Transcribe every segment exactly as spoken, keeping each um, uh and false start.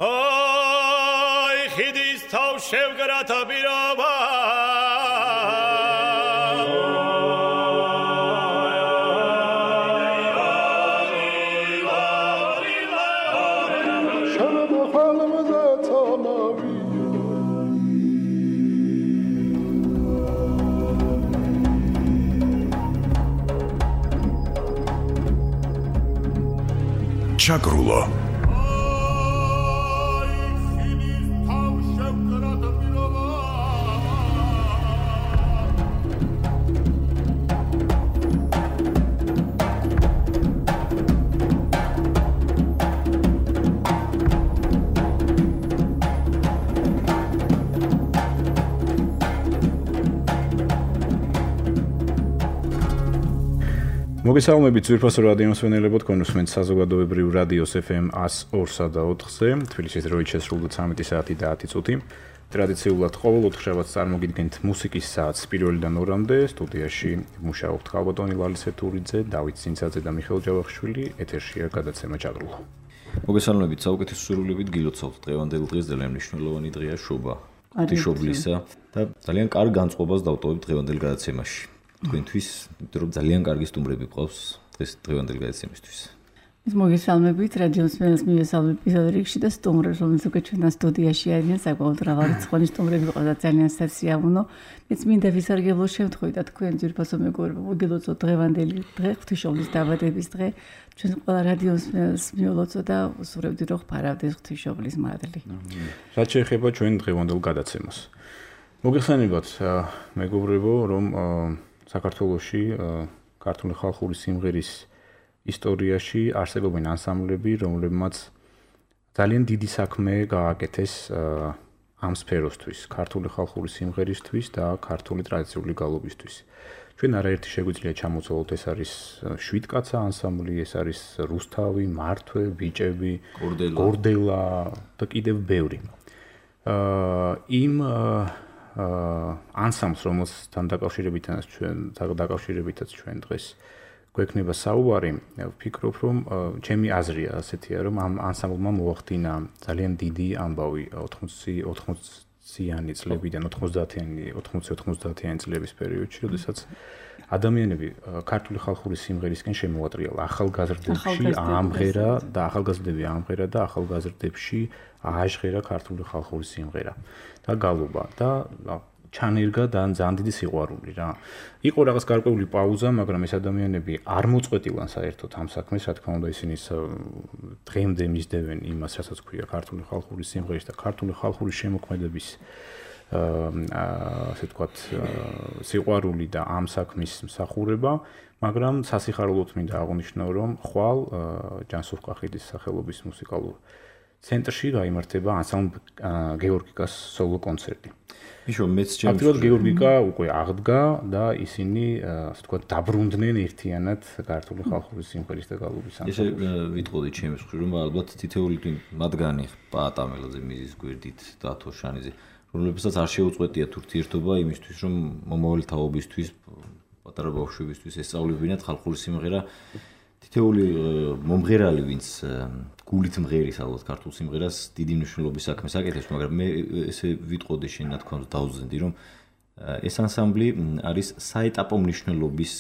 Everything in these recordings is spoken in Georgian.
აი ხიდის თავ შევგრათა პირობა ჩაგრულო მოგესალმებით ძვირფასო რადიოს მსმენელებო, თქვენ უსმენთ საზოგადოებრივ რადიოს ეფ ემ one oh four და ოთხზე, თბილისის დროით შესრულდა ცამეტი საათი და ათი წუთი. ტრადიციულად ყოველ ოთხშაბათს წარმოგიდგენთ მუსიკის საათს პირველიდან ორამდე, სტუდიაში მუშაობთ ხალბატონი ლალის ეთურიძე, დავით სინცაძე და მიხეილ ჯავახიშვილი, ეთერშია გადაცემა ჩაგრულო. მოგესალმებით, საუკეთესო სრულებით გილოცავთ დღევანდელი დღეს ძალიან მნიშვნელოვანი დღეა შობა, ღვთისმშობლისა და ძალიან კარგ განწყობას დავტოვებთ დღევანდელ გადაცემაში. თქვენთვის, იმიტომ რომ ძალიან კარგი სტუმრები გყავს დღეს დღევანდელ გადაცემისთვის. ის მოგესალმებით, რადიო მსმენელს მივესალმებ პირველ რიგში და სტუმრებს, რომელიც უკვე ჩვენთან სტუდიაში არიან, საკმაოდ მრავალრიცხოვანი სტუმრები ყავს და ძალიან სასიამოვნო. მეც მინდა ვისარგებლო შემთხვევით და თქვენ ძვირფასო მეგობრებო, მოგილოცოთ დღევანდელი დღე, ღვთისმშობლის დაბადების დღე. ჩვენ ყველა რადიო მსმენელს მივილოცოთ და ვსურვებდი, რომ ხარავდეს ღვთისმშობლის მადლი. რაც შეეხება ჩვენ დღევანდელ გადაცემას. მოგეხსენებათ, მეგობრებო, რომ საქართველოში ქართული ხალხური სიმღერის ისტორიაში არსებობენ ანსამბლები, რომლებმაც ძალიან დიდი საქმე გააკეთეს ამ სფეროსთვის, ქართული ხალხური სიმღერისთვის და ქართული ტრადიციული გალობისთვის. ჩვენ არაერთი შეგვიძლია ჩამოცვალოთ, ეს არის შვიდკაცა ანსამბლი, ეს არის რუსთავი, მართვე, ბიჭები, გორდელა და კიდევ ბევრი. იმ ანსამბლს, რომელთან დაკავშირებითაც ჩვენ დაკავშირებითაც ჩვენ დღეს გვექნება საუბარი, ვფიქრობ, რომ ჩემი აზრია ასეთია, რომ ამ ანსამბლმა მოახდინა ძალიან დიდი ამბავი ოთხმოციანი წლებიდან ოცდაათიანი ოცდაათიანი წლების პერიოდში, როდესაც ადამიანები ქართული ხალხური სიმღერისკენ შემოატრიალა, ახალგაზრდებში ამღერა და ახალგაზრდები ამღერა და ახალგაზრდებში ააჟღერა ქართული ხალხური სიმღერა და გალობა და ჩანერგა და ძალიან დიდი სიყვარული რა. იყო რაღაც გარკვეული პაუზა, მაგრამ ეს ადამიანები არ მოწყვეტილან საერთოდ ამ საქმეს, რა თქმა უნდა, ისინი დღემდე მისდევენ იმას, რასაც ქვია ქართული ხალხური სიმღერის და ქართული ხალხური შემოქმედების ასე ვთქვათ, სიყვარული და ამ საქმის მსახურება, მაგრამ სასიხარულოდ მინდა აღვნიშნო, რომ ხვალ ჯანსუღ კახიძის სახელობის მუსიკალურ ცენტრში გაიმართება ანსამბლ გეორგიკას სოლო კონცერტი. იშო მეც ჩემს აქტიურად გეორგიკა უკვე აღდგა და ისინი ასე ვთქვათ დაბრუნდნენ ერთიანად ქართული ხალხური სიმღერის და გალობის ანსამბლში. ესე ვიტყოდი ჩემს მხრივ, რომ ალბათ თითოეული მათგანი პაატამელაძე, მიზის გვერდით, დათო შანიძე, რომლებსაც არ შეუწყვეტიათ ურთიერთობა იმისთვის, რომ მომავალი თაობისთვის, პატარა ბავშვებისთვის ესწავლებინათ ხალხური სიმღერა. თითოეული მომღერალი, ვინც გულით მღერის ალბათ ქართულ სიმღერას დიდი მნიშვნელობის საქმეს აკეთებს, მაგრამ მე ესე ვიტყოდი შენ ნათქვამს დავუძენდი, რომ ეს ანსამბლი არის საეტაპო მნიშვნელობის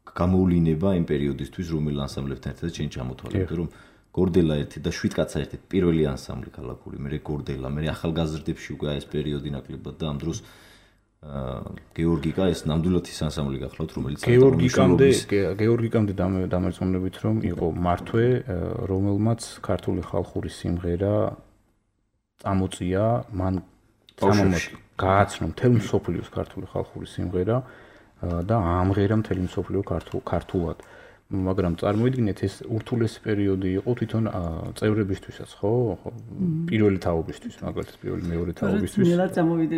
გამოვლინება იმ პერიოდისთვის, რომელ ანსამბლებთან ერთად შენ ჩამოთვალე, რომ გორდელა ერთი და შვიდკაცა ერთი პირველი ანსამბლი ქალაქური, მე გორდელა, მე ახალგაზრდებში უკვე ეს პერიოდი ნაკლებად და ამ დროს გეორგიკა ეს ნამდვილად ის ანსამბლი გახლავთ, რომელიც გეორგიკამდე გეორგიკამდე დამერწმუნებით, რომ იყო მართვე, რომელმაც ქართული ხალხური სიმღერა წამოწია, მან გააცნო მთელ მსოფლიოს ქართული ხალხური სიმღერა და ამღერა მთელი მსოფლიო ქართულად. მაგრამ წარმოიდგინეთ, ეს ურთულესი პერიოდი იყო თვითონ წევრებისთვისაც, ხო? პირველი თაობისთვის, მაგალითად, პირველი მეორე თაობისთვის,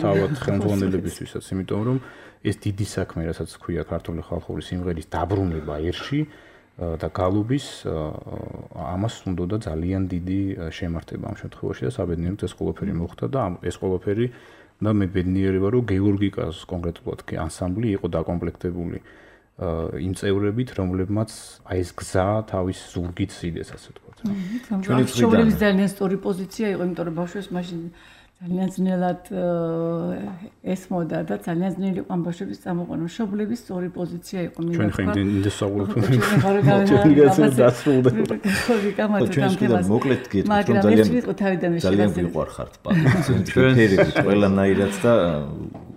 თავად ხელმძღვანელებისთვისაც, იმიტომ რომ ეს დიდი საქმე, რასაც ქვია ქართული ხალხური სიმღერის დაბრუნება ერში და გალობის, ამას უნდოდა ძალიან დიდი შემართება ამ შემთხვევაში და საბედნიეროდ ეს ყველაფერი მოხდა და ეს ყველაფერი და მე ბედნიერება, რომ გეორგიკას კონკრეტულად ანსამბლი იყო დაკომპლექტებული იმ წევრებით, რომლებმაც აი ეს გზა თავის ზურგით სიდეს, ასე ვთქვათ. ჩვენი ცხოვრების ძალიან სწორი პოზიცია იყო, იმიტომ რომ ბავშვებს მაშინ ძალიან ძნელად ესმოდა და ძალიან ძნელი იყო ამ ბავშვების წამოყვანა. მშობლების სწორი პოზიცია იყო მინდა. ჩვენ ხომ იმდენ საუბრობთ. ჩვენ დასრულდა. ჩვენ შეიძლება მოკლედ გეტყვით რომ ძალიან ძალიან გიყვარხართ პატარა. ჩვენ ფერებით ყველანაირად და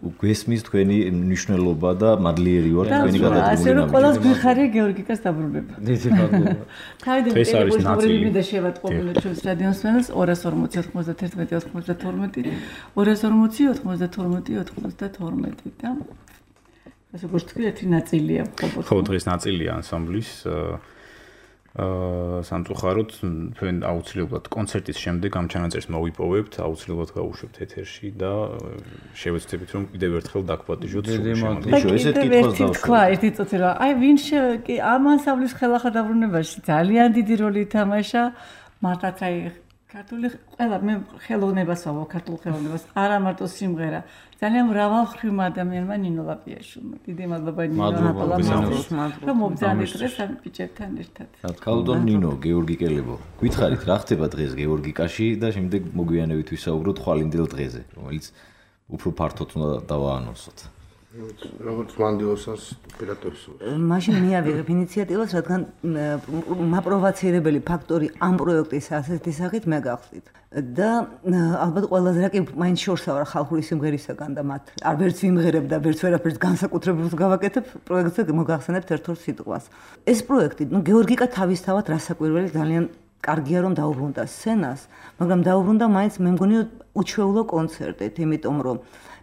გვესმის თქვენი მნიშვნელობა და მადლიერი ვარ თქვენი გადადგმული. ასე რომ ყველას გვიხარია გეორგიკას დაბრუნება. დიდი მადლობა. თავიდან პირველი მინდა შევატყობინოთ ჩვენს რადიოსმენელს ორას ორმოცი ოცდაერთმეტი ოცდათორმეტი ორას ორმოცი ოცდათორმეტი ოცდათორმეტი და ასე როგორც თქვი ერთი ნაწილია ხო ხო დღეს ნაწილია ანსამბლის აა სამწუხაროდ თქვენ აუცილებლად კონცერტის შემდეგ ამ ჩანაწერს მოვიპოვებთ, აუცილებლად გავუშვებთ ეთერში და შევეცდებით რომ კიდევ ერთხელ დაგვპატიჟოთ სულ შემდგომ. ესეთ კითხვას დავსვათ. თქვა ერთი წუთი რა. აი ვინ ამ ანსამბლის ხელახლა დაბრუნებაში ძალიან დიდი როლი ითამაშა. მართლაც აი ქართული ყველა მე ხელოვნებას ვავ ქართულ ხელოვნებას არა მარტო სიმღერა ძალიან მრავალმხრივ ადამიანმა ნინო ლაპიაშვილმა დიდი მადლობა ნინო ლაპიაშვილმა რომ მობრძანეთ დღეს ამ ბიჭებთან ერთად. კალდონ ნინო გეორგი კელებო გითხარით რა ხდება დღეს გეორგიკაში და შემდეგ მოგვიანებით ვისაუბროთ ხვალინდელ დღეზე რომელიც უფრო ფართოდ უნდა დავაანონსოთ. როგორც მანდილოსას ოპერატორს. მაშინ მიავიღებ ინიციატივას, რადგან მაპროვოცირებელი ფაქტორი ამ პროექტის ასეთი სახით მე გახსნით. და ალბათ ყველაზე რა კი მაინც შორსა ვარ ხალხური სიმღერისაგან და მათ არ ვერც ვიმღერებ და ვერც ვერაფერს განსაკუთრებულს გავაკეთებ, პროექტზე მოგახსენებთ ერთ-ორ სიტყვას. ეს პროექტი, ნუ გეორგიკა თავისთავად რასაკვირველი ძალიან კარგია რომ დაუბრუნდა სცენას, მაგრამ დაუბრუნდა მაინც მე მგონი უჩვეულო კონცერტით, იმიტომ რომ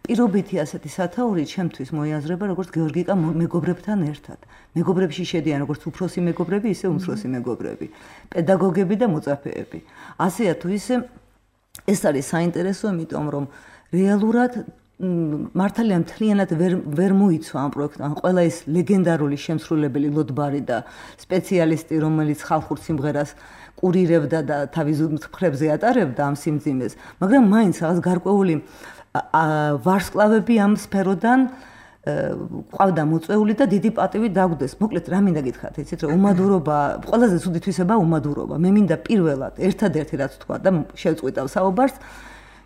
პირობითი ასეთი სათაური ჩემთვის მოიაზრება როგორც გეორგიკა მეგობრებთან ერთად. მეგობრებში შედიან როგორც უფროსი მეგობრები, ისე უმცროსი მეგობრები, პედაგოგები და მოწაფეები. ასეა თუ ისე ეს არის საინტერესო, იმიტომ რომ რეალურად მართალია მთლიანად ვერ ვერ მოიცვა ამ პროექტთან ყველა ეს ლეგენდარული შემსრულებელი ლოდბარი და სპეციალისტი, რომელიც ხალხურ სიმღერას კურირებდა და თავის მხრებზე ატარებდა ამ სიმძიმეს, მაგრამ მაინც რაღაც გარკვეული ვარსკვლავები ამ სფეროდან ყავდა მოწვეული და დიდი პატივი დაგვდეს. მოკლედ რა მინდა გითხრათ, იცით რომ უმადურობა, ყველაზე ცუდი თვისება უმადურობა. მე მინდა პირველად ერთადერთი რაც თქვა და შევწყვიტავ საუბარს,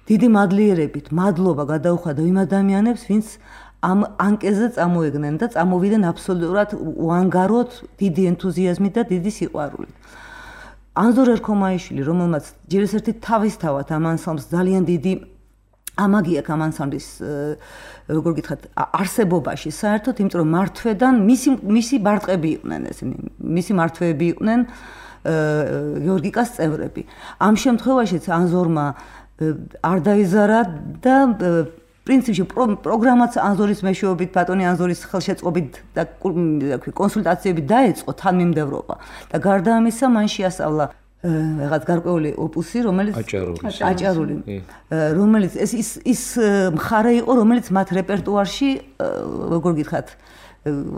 დიდი მადლიერებით, მადლობა გადაუხადა იმ ადამიანებს, ვინც ამ ანკეზე წამოეგნენ და წამოვიდნენ აბსოლუტურად უანგაროდ, დიდი ენთუზიაზმით და დიდი სიყვარულით. ანზორ ერქომაიშვილი, რომელმაც ჯერ ერთი თავისთავად ამ ანსამბლს ძალიან დიდი ამაგი აქვს ამ ანსამბლის როგორ გითხრათ არსებობაში საერთოდ, იმიტომ რომ მართვედან მისი მისი ბარტყები იყვნენ ესენი, მისი მართვეები იყვნენ გეორგიკას წევრები. ამ შემთხვევაშიც ანზორმა არ დაიზარა და პრინციპში პროგრამაც ანზორის მეშვეობით, ბატონი ანზორის ხელშეწყობით და კონსულტაციებით დაეწყო თანმიმდევრობა და გარდა ამისა მან შეასწავლა რაღაც გარკვეული ოპუსი, რომელიც აჭარული, რომელიც ეს ის ის მხარე იყო, რომელიც მათ რეპერტუარში, როგორ გითხრათ,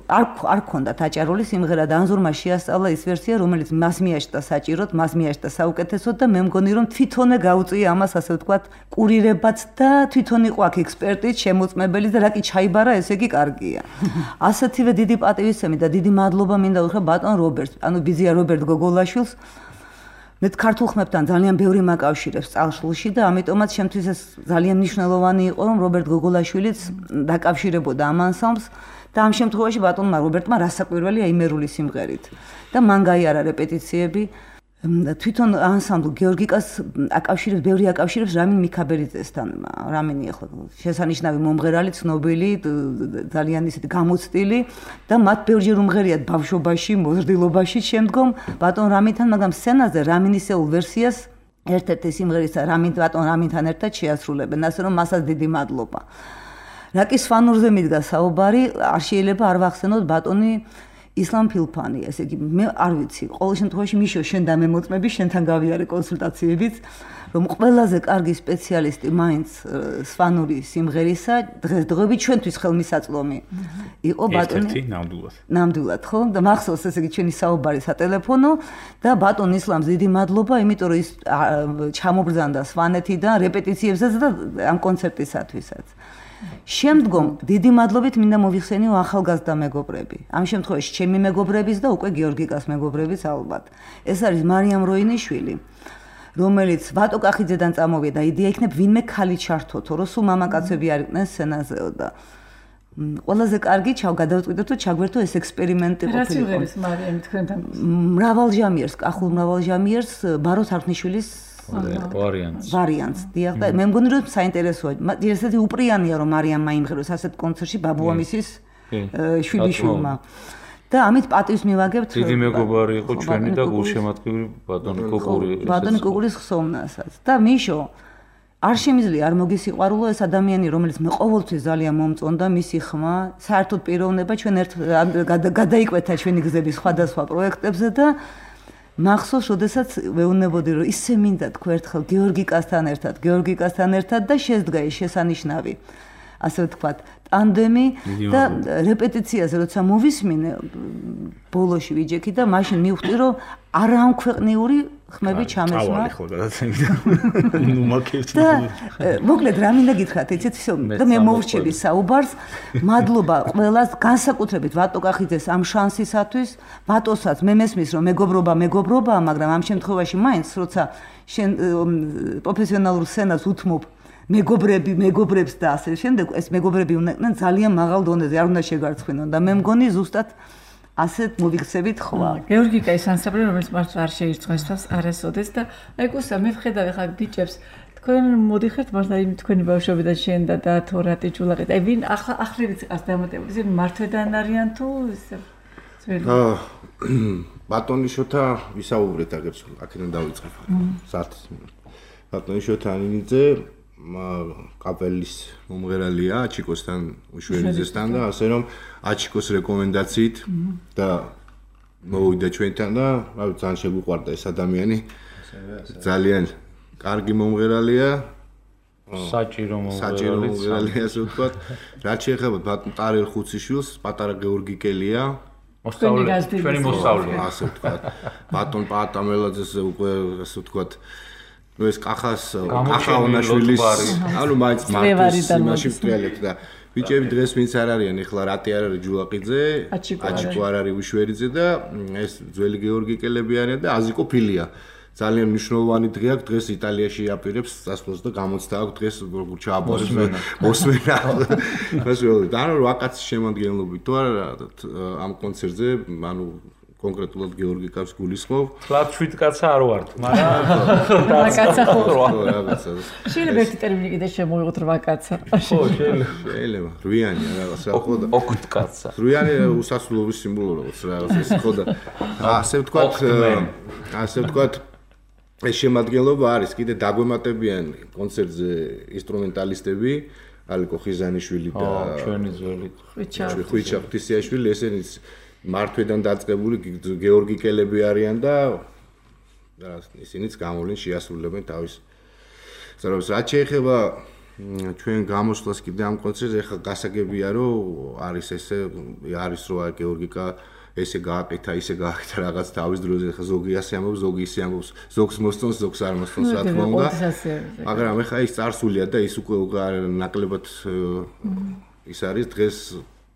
არ არ ქონდათ აჭარული სიმღერა და ანზორმა შეასწავლა ის ვერსია, რომელიც მას მიაჩნდა საჭიროდ, მას მიაჩნდა საუკეთესოდ და მე მგონი რომ თვითონე გაუწია ამას, ასე ვთქვათ, კურირებაც და თვითონ იყო აქ ექსპერტიც, შემოწმებელი და რა კი ჩაიბარა, ესე იგი კარგია. ასეთივე დიდი პატივისცემი და დიდი მადლობა მინდა უთხრა ბატონ რობერტს, ანუ ბიზია რობერტ გოგოლაშვილს. მე ქართულ ხმებთან ძალიან ბევრი მაკავშირებს წარსულში და ამიტომაც შემთთვის ეს ძალიან მნიშვნელოვანი იყო რომ რობერტ გოგოლაშვილიც დაკავშირებოდა ამ ანსამბლს და ამ შემთხვევაში ბატონმა რობერტმა რასაკვირველია იმერული სიმღერით და მან გაიარა რეპეტიციები თვითონ ანსამბლ გეორგიკას აკავშირებს ბევრი აკავშირებს რამინ მიქაბერიძესთან რამინი ახლა შესანიშნავი მომღერალი ცნობილი ძალიან ისეთი გამოცდილი და მათ ბევრჯერ უმღერიათ ბავშვობაში მოზრდილობაში შემდგომ ბატონ რამინთან მაგრამ სცენაზე რამინისეულ ვერსიას ერთ-ერთი სიმღერისა რამინ ბატონ რამინთან ერთად შეასრულებენ ასე რომ მასაც დიდი მადლობა რაკის ფანურზე მიდგა საუბარი არ შეიძლება არ ვახსენოთ ბატონი ისლამ ფილფანი, ესე იგი, მე არ ვიცი, ყოველ შემთხვევაში მიშო შენ და მე მოწმები, შენთან გავიარე კონსულტაციებიც, რომ ყველაზე კარგი სპეციალისტი მაინც სვანური სიმღერისა, დღესდღეობით ჩვენთვის ხელმისაწვდომი იყო ბატონი. ერთ-ერთი ნამდვილად. ნამდვილად, ხო? და მახსოვს ესე იგი ჩვენი საუბარი სატელეფონო და ბატონ ისლამს დიდი მადლობა, იმიტომ რომ ის ჩამობრძანდა სვანეთიდან რეპეტიციებსაც და ამ კონცერტისათვისაც. შემდგომ დიდი მადლობით მინდა მოვიხსენიო ახალგაზრდა მეგობრები. ამ შემთხვევაში ჩემი მეგობრების და უკვე გიორგიკას მეგობრების ალბათ. ეს არის მარიამ როინიშვილი, რომელიც ვატო კახიძედან წამოვიდა და იდეა იქნებ ვინმე ქალი ჩართოთო, რომ სულ მამაკაცები არ იყვნენ სცენაზეო და ყველაზე კარგი ჩავ გადავწყვიტეთ რომ ჩაგვერთო ეს ექსპერიმენტი ყოფილიყო. რა სიმღერის მარიამი თქვენთან? მრავალჟამიერს, კახულ მრავალჟამიერს ბარო თარხნიშვილის ვარიანტს. ვარიანტს. დიახ და მე მგონი რომ საინტერესოა. ესეთი უპრიანია რომ მარიამმა იმღეროს ასეთ კონცერტში ბაბუამისის შვილიშვილმა. და ამით პატივს მივაგებთ. დიდი მეგობარი იყო ჩვენი და გულშემატკივრი ბატონი კუკური. ბატონი კუკურის ხსოვნასაც. და მიშო არ შემიძლია არ მოგისიყვარულო ეს ადამიანი, რომელიც მე ყოველთვის ძალიან მომწონდა, მისი ხმა, საერთოდ პიროვნება ჩვენ ერთ გადაიკვეთა ჩვენი გზები სხვადასხვა პროექტებზე და მახსოვს, როდესაც ვეუბნებოდი, რომ ისე მინდა თქვა ერთხელ გიორგიკასთან ერთად, გიორგიკასთან ერთად და შეძდგა ეს შესანიშნავი, ასე ვთქვათ, ტანდემი და რეპეტიციაზე როცა მოვისმინე ბოლოში ვიჯექი და მაშინ მივხვდი, რომ არაამქვეყნიური ხმები ჩამესმა. ავალი ხო გადაცემდა. ნუ მაკეთე. და მოკლედ რა მინდა გითხრათ, იცით ისო და მე მოვრჩები საუბარს. მადლობა ყველას, განსაკუთრებით ვატო კახიძეს ამ შანსისათვის. ვატოსაც მე მესმის რომ მეგობრობა მეგობრობაა, მაგრამ ამ შემთხვევაში მაინც როცა შენ პროფესიონალურ სცენას უთმობ მეგობრები, მეგობრებს და ასე შემდეგ, ეს მეგობრები უნდა იყვნენ ძალიან მაღალ დონეზე, არ უნდა შეგარცხინონ და მე მგონი ზუსტად ასეთ მოვიქცევით ხვა. გეორგიკა ის ანსამბლი, რომელიც მართლა არ შეირწმეს თავს არასოდეს და აი გუსა მე ვხედავ ხა ბიჭებს თქვენ მოდიხართ მართლა იმ თქვენი ბავშვობიდან შენ და და თორატი ჯულაყი. აი ვინ ახლა ახლივიც იყავს დამატებული, ისინი მართვედან არიან თუ ისე ძველი? აა ბატონიშოთა ვისაუბრეთ აგერც აქედან დავიწყებ. საათის ბატონიშოთა ანინიძე კაპელის მომღერალია აჩიკოსთან უშვერიძესთან და ასე რომ აჩიკოს რეკომენდაციით და მოვიდა ჩვენთან და რა ვიცი ძალიან შეგვიყვარდა ეს ადამიანი ძალიან კარგი მომღერალია საჭირო მომღერალია ასე ვთქვათ რაც შეეხება ბატონ ტარელ ხუციშვილს პატარა გეორგიკელია მოსწავლე ჩვენი მოსწავლე ასე ვთქვათ ბატონ პაატამელაძეს უკვე ასე ვთქვათ ну ეს კახას კახაონაშვილის ანუ მაინც მარტოს იმაში ვტრიალეთ და ბიჭები დღეს ვინც არ არიან ეხლა რატი არ არის ჯულაყიძე აჩიკო არ არის უშვერიძე და ეს ძველი გეორგიკელები არიან და აზიკო ფილია ძალიან მნიშვნელოვანი დღე აქვს დღეს იტალიაში აპირებს წასვლას და გამოცდა აქვს დღეს როგორ ჩააბარეს მოსმენა მასწავლე და ანუ ვაკაცის შემადგენლობით თუ არა ამ კონცერტზე ანუ კონკრეტულად გეორგიკას გულისხმობ. ფლატ შვიდ კაცა არ ვართ, მაგრამ რვა კაცა ხო რაღაცა. შეიძლება ერთი ტერმინი კიდე შემოვიღოთ რვა კაცა. ხო, შეიძლება. შეიძლება. რვიანი რაღაცა ხო და ოქთ კაცა. რვიანი უსასრულობის სიმბოლო რაღაც რაღაცა ეს ხო და ასე ვთქვათ, ასე ვთქვათ ეს შემადგენლობა არის კიდე დაგვემატებიან კონცერტზე ინსტრუმენტალისტები ალიკო ხიზანიშვილი და ჩვენი ძველი ხვიჩა ღვთისიაშვილი ესენიც მართვედან დაწყებული გეორგიკელები არიან და ისინიც გამოვლენ შეასრულებენ თავის ზრდას. რაც შეეხება ჩვენ გამოსვლას კიდე ამ კონცერტზე, ახლა გასაგებია რომ არის ესე არის რო გეორგიკა ესე გააკეთა, ისე გააკეთა რაღაც თავის დროზე, ახლა ზოგი ასე ამბობს, ზოგი ისე ამბობს, ზოგს მოსწონს, ზოგს არ მოსწონს, რა თქმა უნდა. მაგრამ ახლა ის წარსულია და ის უკვე ნაკლებად ის არის დღეს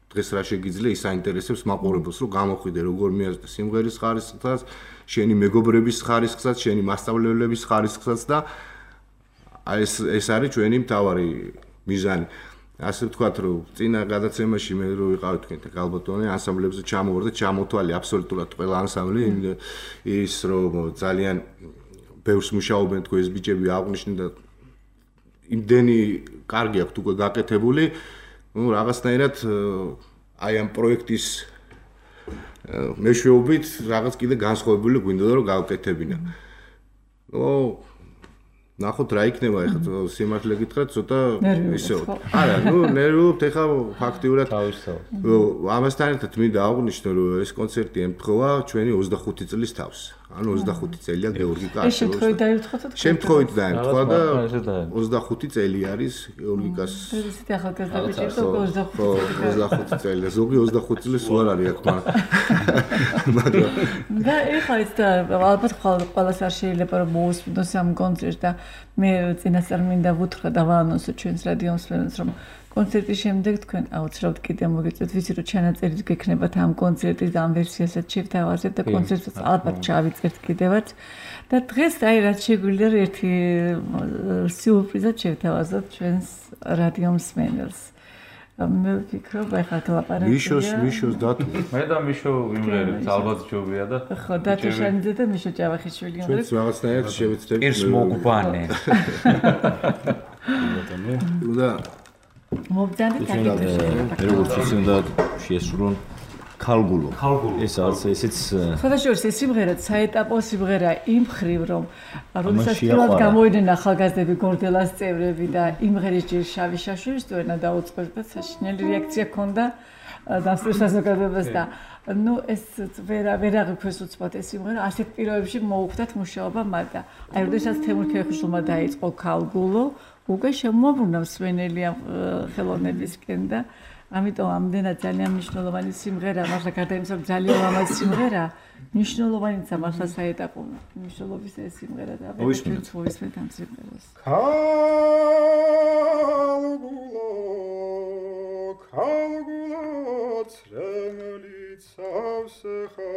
დღეს რა შეგიძლია ის აინტერესებს მაყურებელს რომ გამოხვიდე როგორ მიაზრდა სიმღერის ხარისხსაც, შენი მეგობრების ხარისხსაც, შენი მასწავლებლების ხარისხსაც და ეს ეს არის ჩვენი მთავარი მიზანი. ასე ვთქვათ რომ წინა გადაცემაში მე რო ვიყავი თქვენთან გალბატონე ანსამბლებზე ჩამოვარ და ჩამოთვალე აბსოლუტურად ყველა ანსამბლი ის რომ ძალიან ბევრს მუშაობენ თქვენ ეს ბიჭები აღნიშნე და იმდენი კარგი აქვს უკვე გაკეთებული ну რაღაცნაირად აი ამ პროექტის მეშვეობით რაღაც კიდე განსხვავებული გვინდოდა რომ გავკეთებინა. ნუ ნახოთ რა იქნება ეხლა სიმართლე გითხრათ ცოტა ისეო. არა, ნუ ნერვიულობთ ეხლა ფაქტიურად თავისთავად. ამასთან ერთად მინდა აღვნიშნო რომ ეს კონცერტი ემთხვევა ჩვენი ოცდახუთი წლის თავს. ანუ ოცდახუთი წელია გეორგიკა. ეს შემთხვევით დაემთხვა და შემთხვევით დაემთხვა და ოცდახუთი წელი არის გეორგიკას. ისეთი ახალგაზრდა ბიჭები და ოცდახუთი წელი. ზოგი ოცდახუთი წლის უარ არის აქ მაგრამ და ეხლა ის და ალბათ ყველას არ შეიძლება რომ მოусმინოს ამ კონცერტს და მე წინასწარ მინდა ვუთხრა და ვაანონსო ჩვენს რადიოს ფენს რომ კონცერტის შემდეგ თქვენ აუცილებლად კიდე მოგეწევთ, ვიცი რომ ჩანაწერიც გექნებათ ამ კონცერტის ამ ვერსიასაც შევთავაზებთ და კონცერტსაც ალბათ ჩავიწერთ კიდევაც. და დღეს აი რაც შეგვიძლია ერთი სიურპრიზად შევთავაზოთ ჩვენს რადიო მსმენელს. მე ვფიქრობ, ახლა ლაპარაკია. მიშოს, მიშოს დათო. მე და მიშო ვიმღერებთ, ალბათ ჯობია და ხო, დათო შანიძე და მიშო ჭავახიშვილი იმღერებთ. ჩვენც რაღაცნაირად შევეცდებით. ერს მოგბანენ. და მობდანეთ მე როგორც ისე უნდა შეესრულონ ქალგულო. ეს არის ესეც ხოდაშორის ეს სიმღერა საეტაპო სიმღერა იმ ხრივ რომ როდესაც პირველად გამოიდნენ ახალგაზრდები გორდელას წევრები და იმღერის ჯერ შავი შაშურის დოენა დაუწყეს და საშინელი რეაქცია ჰქონდა დასწრეს საზოგადოებას და ნუ ეს ვერა ვერა ღირფეს უცბად ეს სიმღერა ასეთ პირობებში მოუხდათ მუშაობა მათ და აი როდესაც თემურ ქეხვიშვილმა დაიწყო ქალგულო უკვე შემოუბრუნა მსმენელი ამ ხელოვნებისკენ და ამიტომ ამდენად ძალიან მნიშვნელოვანი სიმღერა, მართლა გარდა იმისა, რომ ძალიან ლამაზი სიმღერა, მნიშვნელოვანიცა მართლა საეტაპო მნიშვნელობის ეს სიმღერა და მოვისმინეთ. მოვისმინეთ ამ სიმღერას. ქალგულო, ქალგულო, წრემლით სავსეხა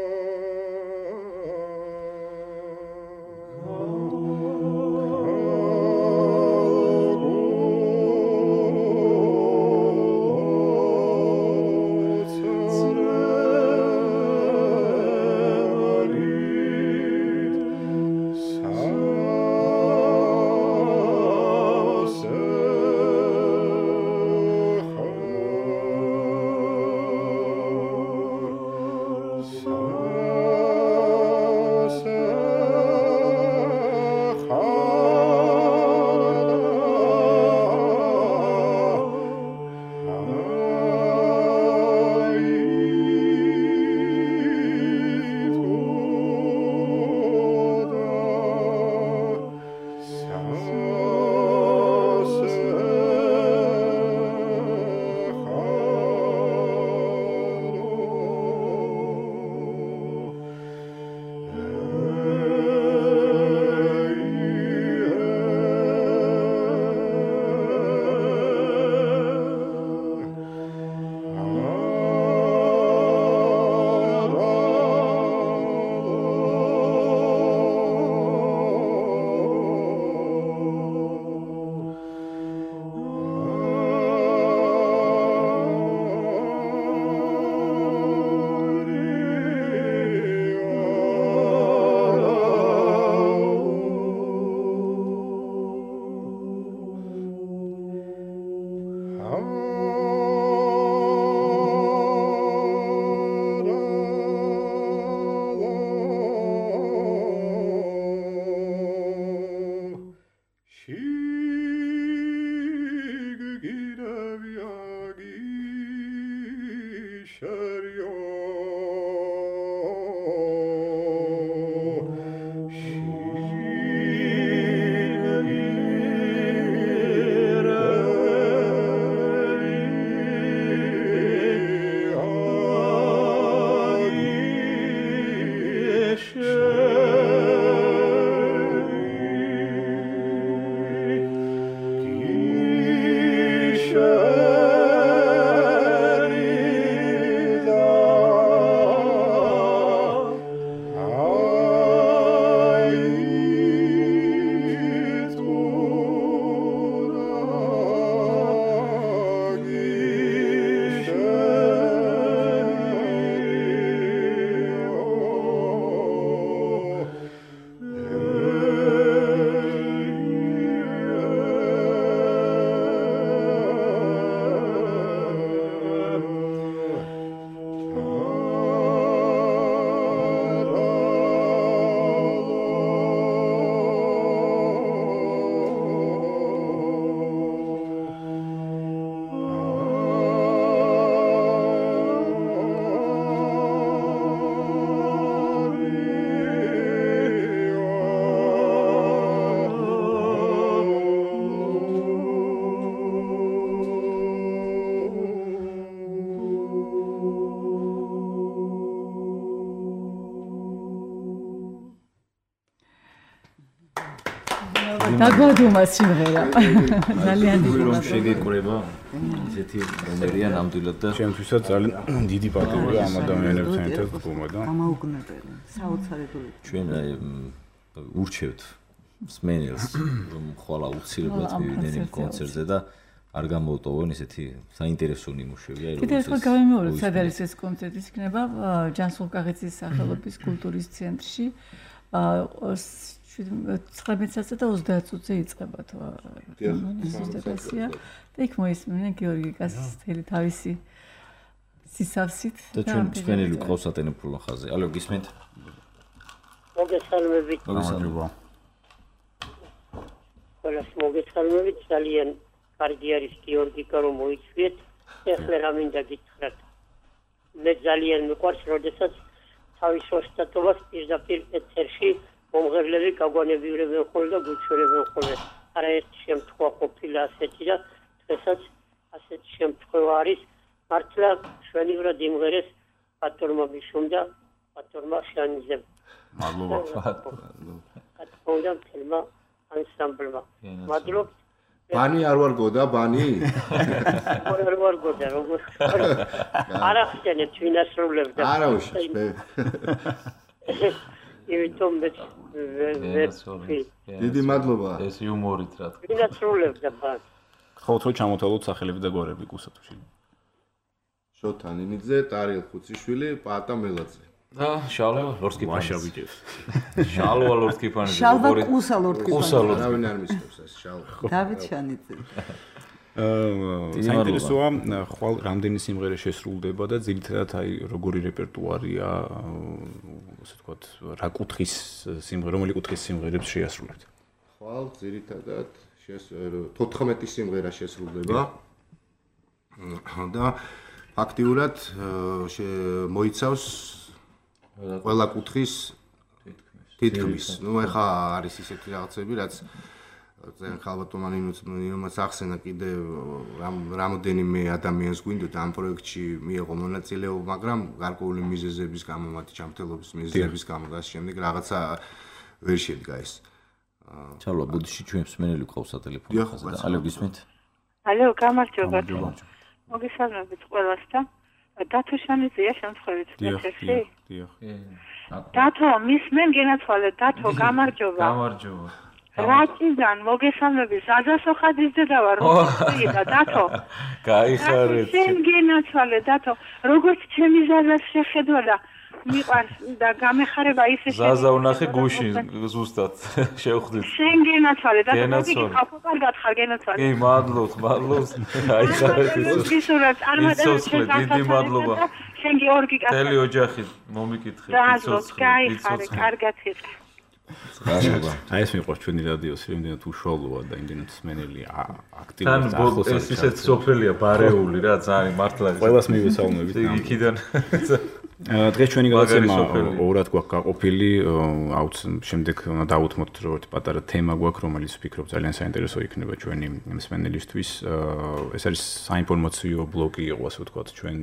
დაგვადუმა სიმღერა. ძალიან დიდი რომ შეგეკრება ისეთი რომერია ნამდვილად და ჩემთვისაც ძალიან დიდი პატივია ამ ადამიანებთან ერთად გქონდა და გამაუგნებელი საოცარი ჩვენ ურჩევთ მსმენელს რომ ხვალ აუცილებლად მივიდნენ იმ კონცერტზე და არ გამოვტოვონ ისეთი საინტერესო ნიმუშები აი კიდევ ერთხელ გავიმეორებ სად არის ეს კონცერტი იქნება ჯანსუღ კაღეცის სახელობის კულტურის ცენტრში ცხრამეტ საათზე და ოცდაათ წუთზე იწყება თუ მანიფესტაცია და იქ მოისმინენ გიორგი კასის თელი თავისი სისავსით და ჩვენ მსმენელი გვყავს ატენებულ ხაზზე ალო გისმენთ მოგესალმებით მოგესალმება ყველას მოგესალმებით ძალიან კარგი არის გიორგიკა რომ მოიწვიეთ ეხლა რა მინდა გითხრათ მე ძალიან მიყვარს როდესაც თავის ოსტატობას პირდაპირ ეთერში მომღერლები გაგვანებიურებენ ხოლმე და გუჩვენებენ ხოლმე არაერთი შემთხვევა ყოფილა ასეთი და დღესაც ასეთი შემთხვევა არის მართლა შვენივრად იმღერეს ბატონმა მიშომ და ბატონმა შანიზემ მადლობა ბატონმა თელმა ანსამბლმა მადლობთ ბანი არ ვარ გოდა ბანი არ ვარ გოდა როგორ არა ხსენეთ ვინ ასრულებდა არა უშ მე იმიტომ მე დიდი მადლობა ეს იუმორით რა თქმა ვინ ასრულებდა ბანი ხოთ რომ ჩამოთვალოთ სახელები და გვარები გუსათუში შოთა ნინიძე ტარიელ ხუციშვილი პაატა მელაძე და შალვა ლორსკიფანი ვაშავიჯევს შალვა ლორსკიფანი შალვა ყუსა ლორსკიფანი არავინ არ მისწევს ეს შალვა დავით შანიძე აა საინტერესოა ხვალ რამდენი სიმღერა შესრულდება და ძირითადად აი როგორი რეპერტუარია ასე ვთქვათ რა კუთხის სიმღერა რომელი კუთხის სიმღერებს შეასრულებთ ხვალ ძირითადად თოთხმეტი სიმღერა შესრულდება და ფაქტიურად მოიცავს ყველა კუთხის თითქმის. ნუ ეხა არის ისეთი რაღაცები, რაც ძალიან ხალბატონმა ნინომაც ახსენა კიდე რამოდენიმე ადამიანს გვინდოდა ამ პროექტში მიიღო მონაწილეობა, მაგრამ გარკვეული მიზეზების გამო, მათი ჯანმრთელობის მიზეზების გამო და ამ შემდეგ რაღაცა ვერ შედგა ეს. ჩალვა ბუდიში ჩვენ მსმენელი გვყავს სატელეფონო ხაზზე და ალო გისმენთ? ალო, გამარჯობა. მოგესალმებით ყველას და დათო შანიძეა შემთხვევით მეთერში? დიახ. დათო, მისმენ გენაცვალე, დათო, გამარჯობა. გამარჯობა. რაჭიდან მოგესალმებით, ზადასოხაძის დედა ვარ, როგორი და დათო. გაიხარეთ. შენ გენაცვალე, დათო, როგორც ჩემი ზაზას შეხედვა და მიყვარს და გამეხარება ისე შენ. ზაზა ვნახე გუში ზუსტად შევხვდით. შენ გენაცვალე, დათო, მოგიგი ხალხობარგად ხარ გენაცვალე. კი, მადლობთ, მადლობთ. გაიხარეთ. ისურა წარმატებით დიდი მადლობა. შენ გიორგი კაცი. მთელი ოჯახი მომიკითხეთ. მადლობთ, გაიხარე, კარგად იყე. გაშობა. აი ეს მიყვარს ჩვენი რადიოს, იმდენად უშუალოა და იმდენად მსმენელი აქტიურად თან ეს ისეთ სოფელია ბარეული რა, ძალიან მართლა. ყველას მივესალმებით. იქიდან დღეს ჩვენი გადაცემა ორად გვაქვს გაყოფილი, აუც შემდეგ უნდა დავუთმოთ რომ ერთი პატარა თემა გვაქვს, რომელიც ვფიქრობ ძალიან საინტერესო იქნება ჩვენი მსმენელისთვის. ეს არის საინფორმაციო ბლოკი იყო, ასე ვთქვათ, ჩვენ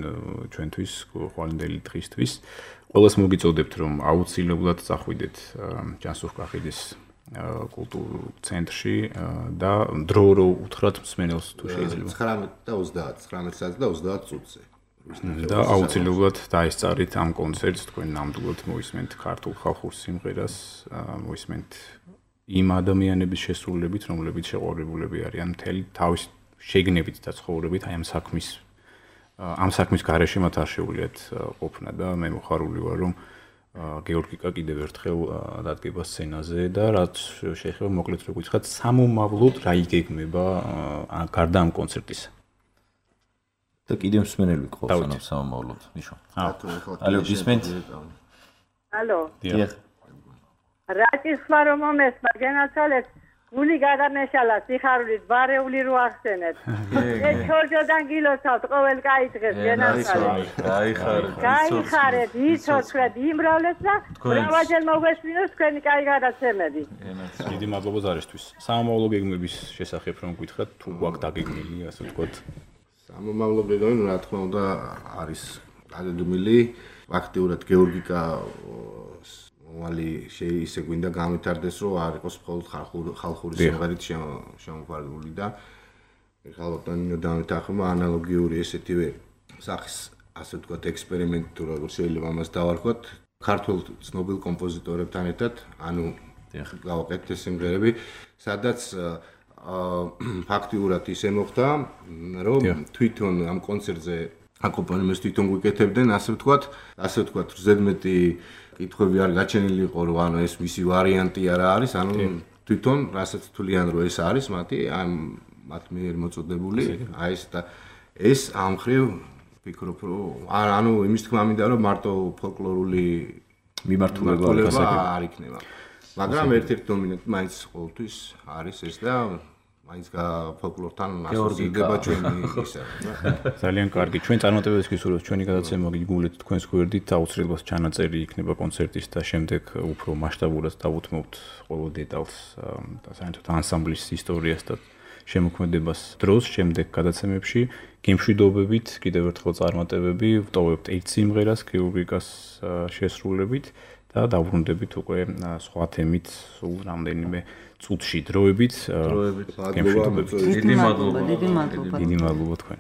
ჩვენთვის, ხვალინდელი დღისთვის. ყველას მოგიწოდებთ რომ აუცილებლად წახვიდეთ ჯანსუღ კახიძის კულტურულ ცენტრში და დრო რო უთხრათ მსმენელს თუ შეიძლება ცხრამეტ და ოცდაათ ცხრამეტ საათზე და ოცდაათ წუთზე და აუცილებლად დაესწარით ამ კონცერტს თქვენ ნამდვილად მოისმენთ ქართულ ხალხურ სიმღერას მოისმენთ იმ ადამიანების შესრულებით რომლებიც შეყვარებულები არიან მთელი თავის შეგნებით და ცხოვრებით აი ამ საქმის ამ საქმის გარეშე მათ არ შეუძლიათ ყოფნა და მე მოხარული ვარ რომ გეორგიკა კიდევ ერთხელ დადგება სცენაზე და რაც შეეხება მოკლედ რო გითხრათ სამომავლოდ რა იგეგმება გარდა ამ კონცერტისა და კიდევ მსმენელი გყავს ამ სამომავლოდ ნიშო ალო გისმენთ ალო დიახ რაჭის ხმა რომ მომესმა გენაცვალეთ გული გადამეშალა სიხარულით ბარეული რო ახსენეთ. ეს ჩორჯოდან გილოცავთ ყოველ კაი დღეს გენაცვალეთ. გაიხარეთ. გაიხარეთ, იცოცხლეთ, იმრავლეთ და ბრავაჯერ მოგვესმინოს თქვენი კაი გადაცემები. დიდი მადლობა ზარისთვის. სამომავლო გეგმების შესახებ რომ გითხრათ, თუ გვაქვს დაგეგმილი, ასე ვთქვათ. სამომავლო გეგმები, რა თქმა უნდა, არის დაგეგმილი. აქტიურად გეორგიკა მომალი ისე გვინდა გამვითარდეს, რომ არ იყოს მხოლოდ ხალხური სიმღერით შემოყვანილი და ხალხთან ნინო დამეთახმა ანალოგიური ესეთივე სახის ასე ვთქვათ ექსპერიმენტი თუ როგორ შეიძლება ამას დავარქვათ ქართულ ცნობილ კომპოზიტორებთან ერთად, ანუ გავაკეთეთ ეს სიმღერები, სადაც ფაქტიურად ისე მოხდა, რომ თვითონ ამ კონცერტზე აკომპანემენტს თვითონ გვიკეთებდნენ, ასე ვთქვათ, ასე ვთქვათ, ზედმეტი კითხვები არ გაჩენილი იყო, რომ ანუ ეს მისი ვარიანტი არა არის, ანუ თვითონ რასაც თვლიან, რომ ეს არის მათი ამ მათ მიერ მოწოდებული, აი ეს და ეს ამ ხრივ ვფიქრობ, რომ ანუ იმის თქმა მინდა, რომ მარტო ფოლკლორული მიმართულება არ იქნება. მაგრამ ერთ-ერთი დომინანტი მაინც ყოველთვის არის ეს და მაინც ფოლკლორთან ასოცირდება ჩვენი ისა. ძალიან კარგი. ჩვენ წარმატებებს გისურვებთ ჩვენი გადაცემა გიგულეთ თქვენს გვერდით, აუცილებლად ჩანაწერი იქნება კონცერტის და შემდეგ უფრო მასშტაბურად დავუთმობთ ყოველ დეტალს და საერთოდ ანსამბლის ისტორიას და შემოქმედებას დროს შემდეგ გადაცემებში გემშვიდობებით კიდევ ერთხელ წარმატებები ვტოვებთ ერთ სიმღერას გეორგიკას შესრულებით და დავბრუნდებით უკვე სხვა თემით სულ რამდენიმე წუთში დროებით გემშვიდობებით დიდი მადლობა დიდი მადლობა დიდი მადლობა თქვენ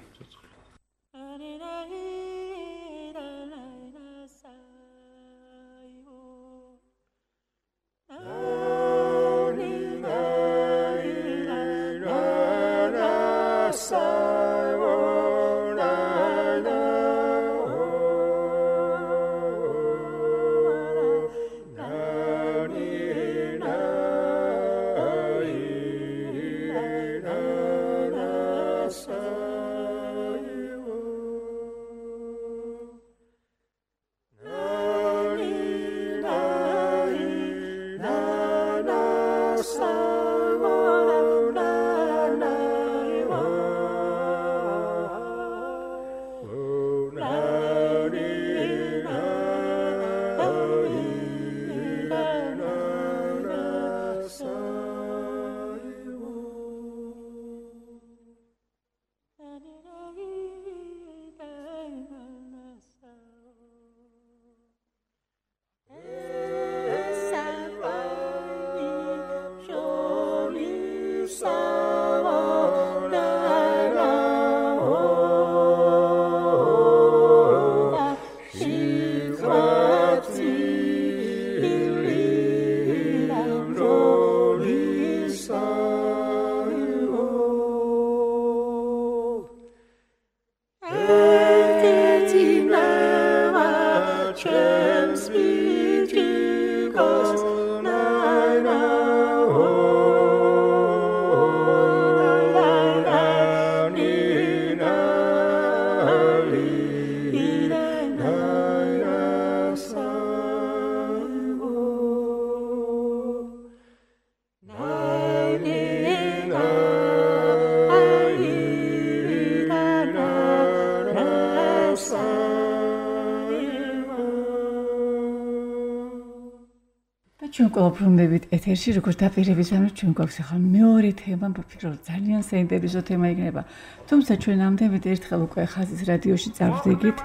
ჩვენ ყველაფრუნდებით ეთერში, როგორც დაპირების ამის ჩვენ გვაქვს ახლა მეორე თემა, ვფიქრობ ძალიან საინტერესო თემა იქნება. თუმცა ჩვენ ამდენად ერთხელ უკვე ხაზის რადიოში წავდიგით.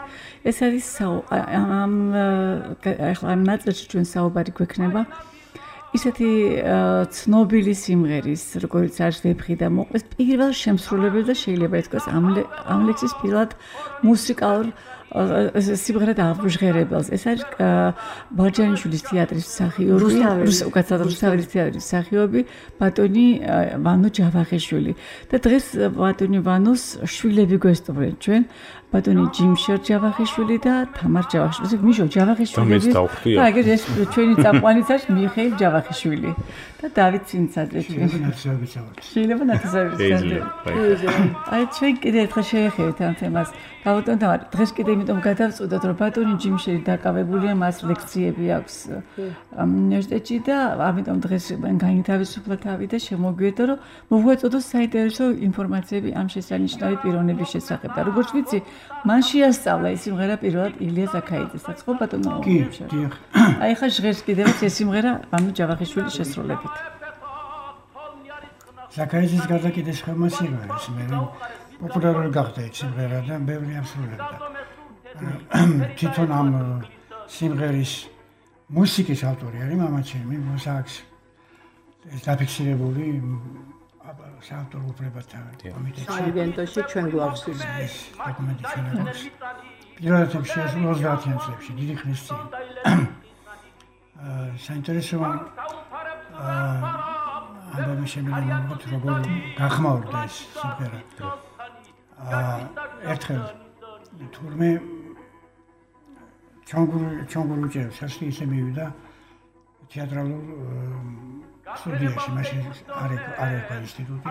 ეს არის ამ ახლა ამ ნაწილში ჩვენ საუბარი გვექნება ისეთი ცნობილი სიმღერის, როგორც არის ვეფხი და მოყვეს პირველ შემსრულებელს და შეიძლება ითქვას ამ ლექსის პირველად მუსიკალურ სიმღერად აღჟღერებელს. ეს არის ბარჯანიშვილის თეატრის მსახიობი, უკაცრავად რუსთაველის თეატრის მსახიობი ბატონი ვანო ჯავახიშვილი. და დღეს ბატონი ვანოს შვილები გვესწრებენ ჩვენ. ბატონი ჯიმშერ ჯავახიშვილი და თამარ ჯავახიშვილი. მიშო ჯავახიშვილი. და ეგრე ეს ჩვენი წამყვანიც არის მიხეილ ჯავახიშვილი. და დავით ცინცაძე ჩვენ. შეიძლება ნათესავების ცენტრი. აი ჩვენ კიდე ერთხელ შევეხებით ამ თემას. ბატონ თამარ, დღეს კიდე იმიტომ გადავწყვიტოთ, რომ ბატონი ჯიმშერი დაკავებულია, მას ლექციები აქვს უნივერსიტეტში და ამიტომ დღეს განითავისუფლა თავი და შემოგვიერთო, რომ მოგვეწოდოს საინტერესო ინფორმაციები ამ შესანიშნავი პიროვნების შესახებ. და როგორც ვიცი, მან შეასწავლა ეს სიმღერა პირველად ილია ზაქაიძესაც, ხო ბატონო? კი, დიახ. აი ხა ჟღერს კიდევაც ეს სიმღერა ვანო ჯავახიშვილის შესრულებით. ზაქაიძის გარდა კიდე სხვა სიმღერა, მე პოპულარული გახდა ეს სიმღერა და ბევრი ამსრულებდა. თვითონ ამ სიმღერის მუსიკის ავტორი არის მამაჩემი, მოსაქვს ეს დაფიქსირებული საავტორო უფლებათა კომიტეტში. სააგენტოში ჩვენ გვაქვს ეს დოკუმენტი ჩვენ აქვს. პირველ რიგში ეს ოცდაათიან წლებში დიდი ხნის წინ. აა საინტერესო აა ამბავი შემიძლია მოგოთ როგორ გახმაურდა ეს სიმღერა. აა ერთხელ თურმე ჩანგურ ჩანგურ უჯერებს ასე ისე მივიდა თეატრალურ სტუდიაში, მაშინ არ არ იყო ინსტიტუტი,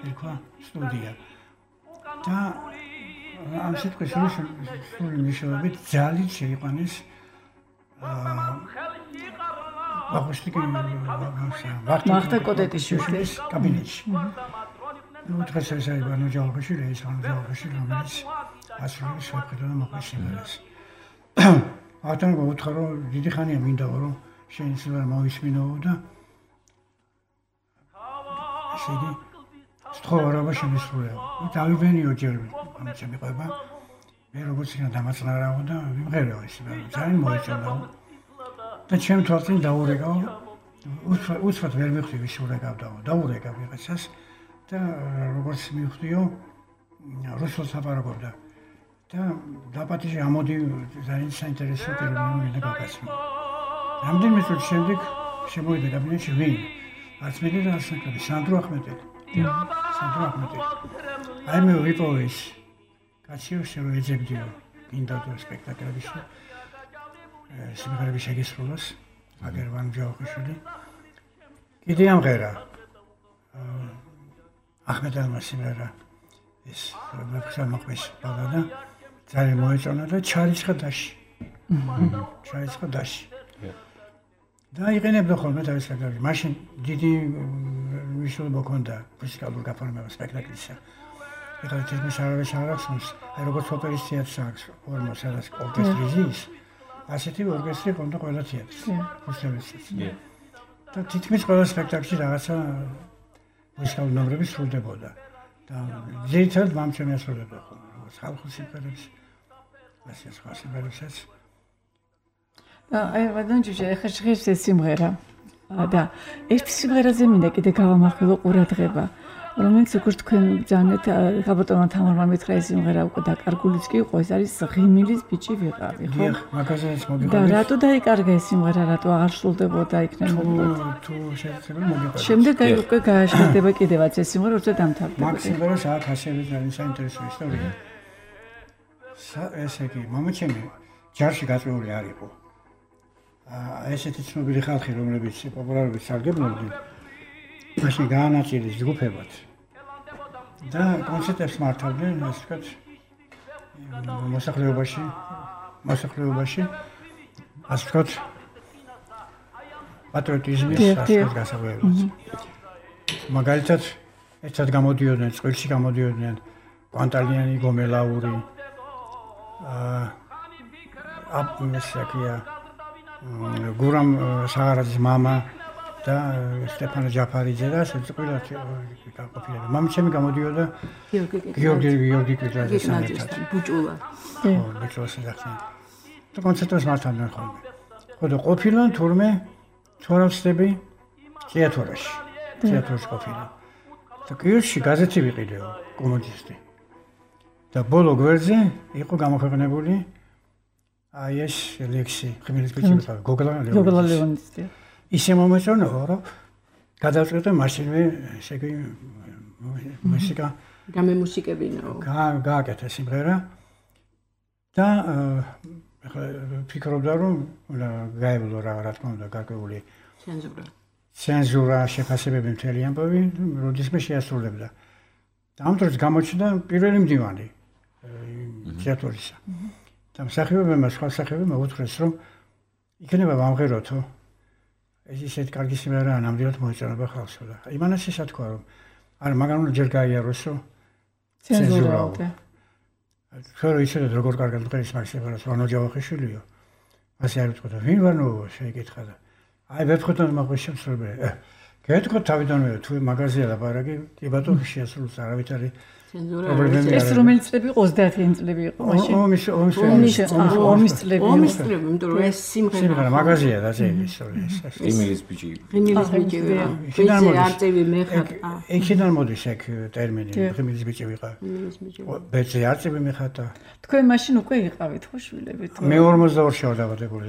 ერქვა სტუდია. და ამ სიტყვის სრული მნიშვნელობით ძალით შეიყვანეს აა აღნიშნული ვახტანგ კოდეტიშვილის კაბინეტში. ნუ დღეს ეს არის ბანო ჯავახიშვილი, ეს ბანო ჯავახიშვილი, რომელიც ასრულებს შეფეთო და მოყვის სიმღერას. ავთან გუთხრა რომ დიდი ხანია მინდა რომ შენ სიმღერა მოვისმინო და შედი სწორობა შემისრულეო. დავიბენიო ჯერ ამ შემიყვება. მე როგორც იქნა დამაწნარაო და ვიმღერეო ეს ძალიან მოეწონა. და ჩემ თვალწინ დაურეკავ. უცბად ვერ მივხვდი ვის ურეკავდაო. დაურეკავ ვიღაცას და როგორც მივხვდიო რუსულს აპარაკობდა. და დაპატიჟე ამოდი ძალიან საინტერესო პირველი მინდა გაგაცნო. რამდენიმე წუთის შემდეგ შემოვიდა კაბინეტში ვინ? არც მე და არც ნაკლები სანდრო ახმეტელი. სანდრო ახმეტელი. აი მე ვიპოვე ის კაცი რომ ეძებდიო გინდა თუ სპექტაკლების სიმღერების შეგისრულოს აგერ ვან ჯავახიშვილი. კიდე ამღერა ახმეტელმა სიმღერა ეს მეფხსა მოყვის ბაღადა ძალიან მოეწონა და ჩარიცხა დაში. ჩარიცხა დაში. და იყენებდა ხოლმე თავის სპექტაკლში. მაშინ დიდი მნიშვნელობა ჰქონდა მუსიკალურ გაფორმება სპექტაკლისა. ეხლა თითქმის არავის არ ახსოვს, აი როგორც ოპერის თეატრს აქვს ფორმა, სადაც ორკესტრი ზის, ასეთი ორკესტრი ჰქონდა ყველა თეატრს. რუსეთშიც. და თითქმის ყველა სპექტაკლში რაღაცა მუსიკალური ნომრები სრულდებოდა. და ძირითადად მამჩემი ასრულებდა ხოლმე, როგორც ხალხურ სიმღერებს, ასე სხვა სიმღერებსაც. აი, ვადანჯიჟე, ეხლა შეხედე სიმღერა. და ერთ სიმღერაზე მინდა კიდე გავამახვილო ყურადღება, რომელიც როგორც თქვენ ბრძანეთ, გაბატონმა თამარმა მითხრა ეს სიმღერა უკვე დაკარგულიც კი იყო, ეს არის ღიმილის ბიჭი ვიყავი, ხო? დიახ, მაგაზეც მოგიყვანეთ. და რატო დაიკარგა ეს სიმღერა, რატო აღარ სრულდებოდა იქნებოდა? თუ შეიძლება მოგიყვანეთ. შემდეგ აი უკვე გააშკარდება კიდევაც ეს სიმღერა, როცა დამთავრდება. მაგ სიმღერას აქვს ასევე ძალიან საინტერესო ისტორია. ესე იგი, მამაჩემი ჯარში გაწეული არ იყო. აა ესეთი ცნობილი ხალხი, რომლებიც პოპულარობით სარგებლობდნენ, მაშინ გაანაწილეს ჯგუფებად. და კონცერტებს მართავდნენ, ასე ვთქვათ, მოსახლეობაში, მოსახლეობაში, ასე ვთქვათ, პატრიოტიზმის გასაღებად. მაგალითად, ერთად გამოდიოდნენ, წყვილში გამოდიოდნენ კვანტალიანი, გომელაური, აა აპმესაკია გურამ საღარაძის მამა და სტეფანე ჯაფარიძე და ასე ყველა გაყოფილება. მამჩემი გამოდიოდა გიორგი გიორგი კიძაძის სამერთად. ბუჭულა. ხო, ბუჭულას ეძახდნენ. და კონცერტებს მართავდნენ ხოლმე. ხო და ყოფილან თურმე თორავსები თეატრში. თეატრში ყოფილან. და კიევში გაზეთი ვიყიდეო, კომუნისტი. და ბოლო გვერდზე იყო გამოქვეყნებული აი ეს ლექსი, ღიმილის ბიჭი ვიყავი, გოგლა ლეონიძე. გოგლა ლეონიძე. ისე მომეწონა, რომ გადავწყვეტე მაშინვე, ესე იგი, მუსიკა გამემუსიკებინაო. გააკეთა სიმღერა და ეხლა ფიქრობდა, რომ გაევლო რა რა თქმა უნდა, გარკვეული ცენზურა. ცენზურა, შეფასებები მთელი ამბავი, როდისმე შეასრულებდა. და ამ დროს გამოჩნდა პირველი მდივანი თეატრისა. და მსახიობებმა, სხვა მსახიობებმა უთხრეს, რომ იქნება ვამღეროთო. ეს ისეთ კარგი სიმღერაა, ნამდვილად მოეწონება ხალხს და იმანაც ისა თქვა, რომ არა, მაგრამ უნდა ჯერ გაიაროსო ცენზურაო. ხარო ისედაც როგორ კარგად მღერის მაგ სიმღერას, ვანო ჯავახიშვილიო. ასე არ უთქვა და ვინ ვანო შეიკითხა და აი ვეფხვიტონ მაგის შემსრულებელი. გეტყვი თავიდანვე თუ მაღაზია ლაპარაკი კი ბატონო შეასრულოს არავით არის ეს რომელი წლები იყო ოცდაათი წლები იყო მაშინ ომის ომის ომის წლები ომის წლები იმიტომ რომ ეს სიმღერა მაღაზია და ეს ის იმილის ბიჭი იმილის ბიჭი ვიყავ ვიზე არწივი მე ხატა იქიდან მოდის ეგ ტერმინი იმილის ბიჭი ვიყავ იმილის ბიჭი ვეზე არწივი მე ხატა თქვენ მაშინ უკვე იყავით ხო შვილებით მე ორმოცდაორი შევარ დაბადებული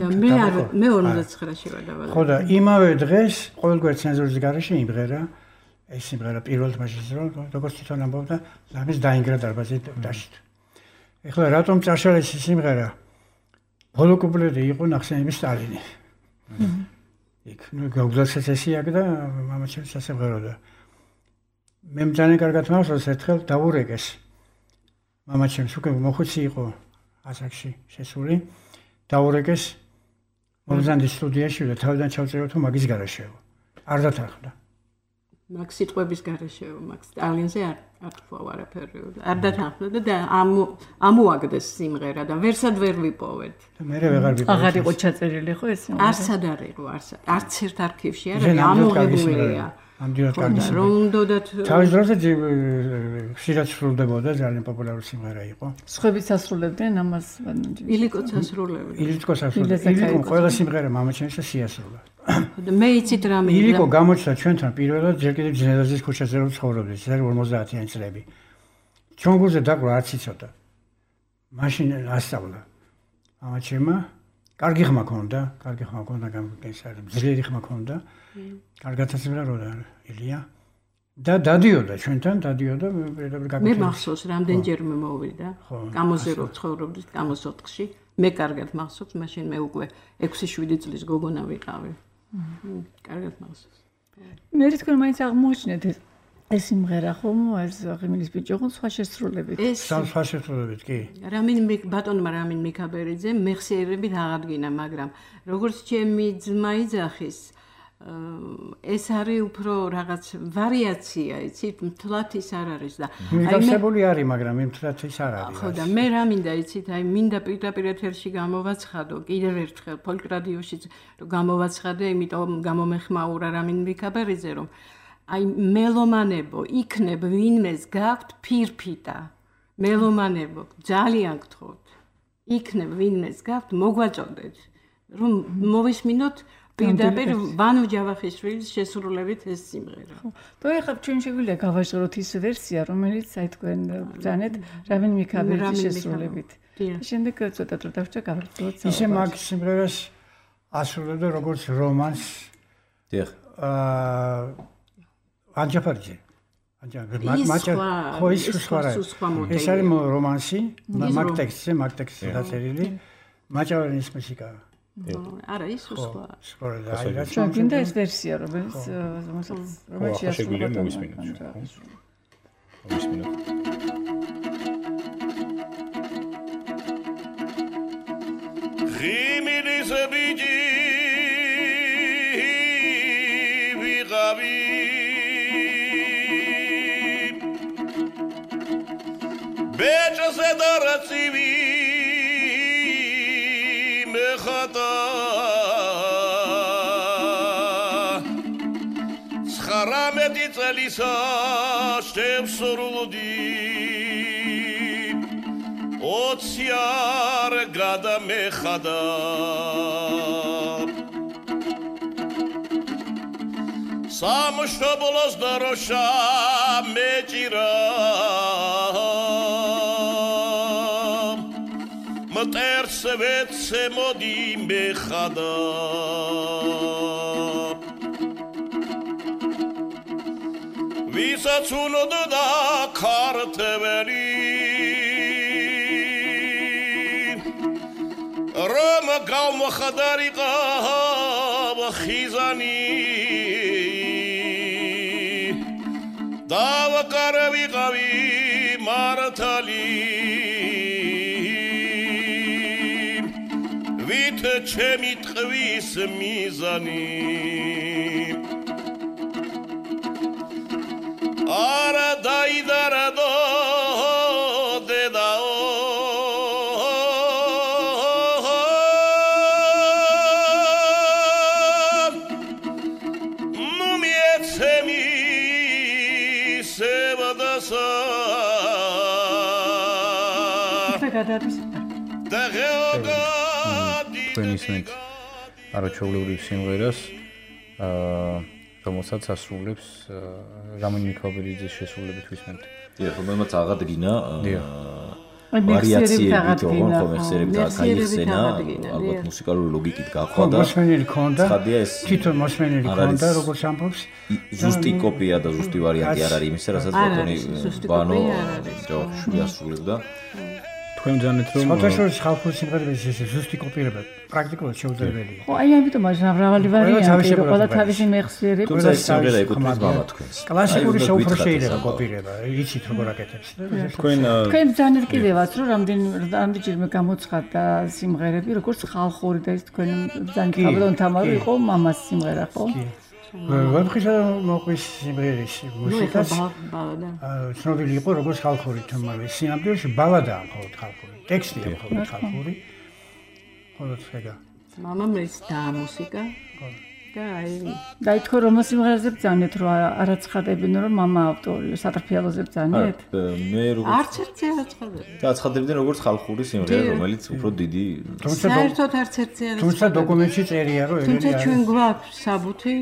და მე არ მე ორმოცდაცხრა შევარ დაბადებული ხო და იმავე დღეს ყოველგვარ ცენზურის გარეშე იმღერა ეს სიმღერა პირველ თმაშიც რომ როგორც თვითონ ამბობდა ლამის დაინგრა დარბაზი დაშით. ეხლა რატომ წაშალ ეს სიმღერა? ბოლო კუპლეტი იყო ნახსენების სტალინი. იქ ნუ გაუგზავნეს ესე აქ და მამაჩემ სასიმღერო და მე მძანე კარგად მახსოვს ერთხელ დაურეკეს. მამაჩემს უკვე მოხუცი იყო ასაკში შესული. დაურეკეს მომზანდის სტუდიაში და თავიდან ჩავწერო თუ მაგის გარეშეო. არ დათანხმდა. მაგ სიტყვების გარეშეო, მაგ სტალინზე არ არ თქვა არაფერი. არ დათანხმდა და ამოაგდეს სიმღერა და ვერსად ვერ ვიპოვეთ. მე ვეღარ ვიპოვეთ. აღარ იყო ჩაწერილი ხო ეს სიმღერა? არცად არ იყო, არც ერთ არქივში არ არის ამოღებულია. ამდენად კარგი სიმღერა. რომ უნდათ თავის დროზე ხშირად სრულდებოდა, ძალიან პოპულარული სიმღერა იყო. სხვებიც ასრულებდნენ ამას. ილიკოც ასრულებდა. ილიკოც ასრულებდა. ილიკო ყველა სიმღერა მამაჩემსა შეასრულა. და მე იცით რა მინდა. ილიკო გამოჩნდა ჩვენთან პირველად ჯერ კიდევ ძნელაძის ქუჩაზე რომ ცხოვრობდი, ეს არის ორმოცდაათიანი წლები. ჩვენ გულზე დაკვრა არც იცოდა. მაშინ ასწავლა. მამაჩემა კარგი ხმა ქონდა, კარგი ხმა ქონდა, გამგეს არის ძლიერი ხმა ქონდა. კარგად ასწავლოდა ილია. და დადიოდა ჩვენთან, დადიოდა მე მახსოვს რამდენჯერმე მოვიდა. გამოზე რო ცხოვრობდით, გამოს ოთხში. მე კარგად მახსოვს, მაშინ მე უკვე ექვსი შვიდი წლის გოგონა ვიყავი. კარგად მახსოვს. მე თქვენ მაინც აღმოჩნდეთ ეს სიმღერა ხომ ეს ღიმილის ბიჭი ხო სხვა შესრულებით. სხვა შესრულებით კი. რამინ ბატონმა რამინ მიქაბერიძე მეხსიერებით აღადგინა, მაგრამ როგორც ჩემი ძმა იძახის ეს არის უფრო რაღაც ვარიაცია, იცით, მთლად ის არ არის და მიგავსებული არის, მაგრამ მთლად ის არ არის. ხო და მე რა მინდა იცით, აი მინდა პირდაპირ ეთერში გამოვაცხადო, კიდევ ერთხელ ფოლკ რადიოშიც რომ გამოვაცხადე, იმიტომ გამომეხმაურა რამინ მიქაბერიძე რომ აი მელომანებო, იქნებ ვინმეს გაქვთ ფირფიტა. მელომანებო, ძალიან გთხოვთ. იქნებ ვინმეს გაქვთ, მოგვაწოდეთ, რომ მოვისმინოთ პირდაპირ ვანო ჯავახიშვილის შესრულებით ეს სიმღერა. ხო. და ეხლა ჩვენ შეგვიძლია გავაჟღეროთ ის ვერსია, რომელიც აი თქვენ ბრძანეთ რამინ მიქაბერიძის შესრულებით. შემდეგ ცოტა დრო დავჭა გავაგრძელოთ. ისე მაგ სიმღერას ასრულებდა როგორც რომანს. დიახ. აა ანჯაფარიძე. ანჯაფარიძე. ხო ის სხვა რა. ეს არის რომანსი, მაგ ტექსტზე, მაგ ტექსტზე დაწერილი. მაჭავერის მუსიკა. არა ის სხვა. სხვა და აი რა ჩვენ გინდა ეს ვერსია რომელიც რომელიც შეგვიძლია მოვისმინოთ. მოვისმინოთ. ღიმილის ბიჭი ვიღავი ბეჭზე დარაცივი მეხატა ცხრამეტი წელისა შევსრულდი ოცი არ გადამეხადა სამშობლოს დროშა მეჭირა მტერს ვეცე მოდი მეხადა ვისაც უნოდა ქართველი რომ გავმხდარიყო ხიზანი დავაკარვიყავი მართალი ვით ჩემი ტყვის მიზანი არა დაიდარა დედაო სევადასა და გეოგადი თქვენ ისმენთ არაჩვეულებრივ სიმღერას აა რომელსაც ასრულებს რამინ მიქაბერიძის შესრულებით ვისმენთ. დიახ, რომელმაც აღადგინა ვარიაციებით ოღონდ ხომ ეხსერებით გაიხსენა, ალბათ მუსიკალური ლოგიკით გაყვა და მოსმენილი ქონდა. ცხადია ეს თვითონ მოსმენილი ქონდა, როგორც ამბობს. ზუსტი კოპია და ზუსტი ვარიანტი არ არის იმისა, რასაც ბატონი ბანო ჯოხში ასრულებდა. თქვენ ძანეთ რომ სხვადასხვა ხალხური სიმღერების ეს ზუსტი კოპირება პრაქტიკულად შეუძლებელია. ხო, აი ამიტომ აღარ მრავალი ვარიანტი, რომ ყველა თავისი მეხსიერება. თუმცა ეს სიმღერა ეკუთვნის მამა თქვენს. კლასიკური შეუფრო შეიძლება კოპირება, იცით როგორ აკეთებს. თქვენ თქვენ ძანეთ კიდევაც რომ რამდენი რამდენჯერმე გამოცხადდა სიმღერები, როგორც ხალხური და ეს თქვენ ძალიან კაბლონ თამარი იყო მამას სიმღერა, ხო? ვაფხისა მოყვის სიმღერის მუსიკას ცნობილი იყო როგორც ხალხური თამარი. სინამდვილეში ბალადაა მხოლოდ ხალხური. ტექსტია მხოლოდ ხალხური. მხოლოდ ხეგა. მამამ ეს და მუსიკა. და აი და ითქო რომ სიმღერაზე ბძანეთ რომ არაცხადებინ რომ მამა ავტორია, სატრფიალოზე ბძანეთ? მე როგორც არც ერთი არაცხადები. და აცხადებდნენ როგორც ხალხური სიმღერა, რომელიც უფრო დიდი საერთოდ არც ერთი არაცხადები. თუმცა დოკუმენტში წერია რომ თუმცა ჩვენ გვაქვს საბუთი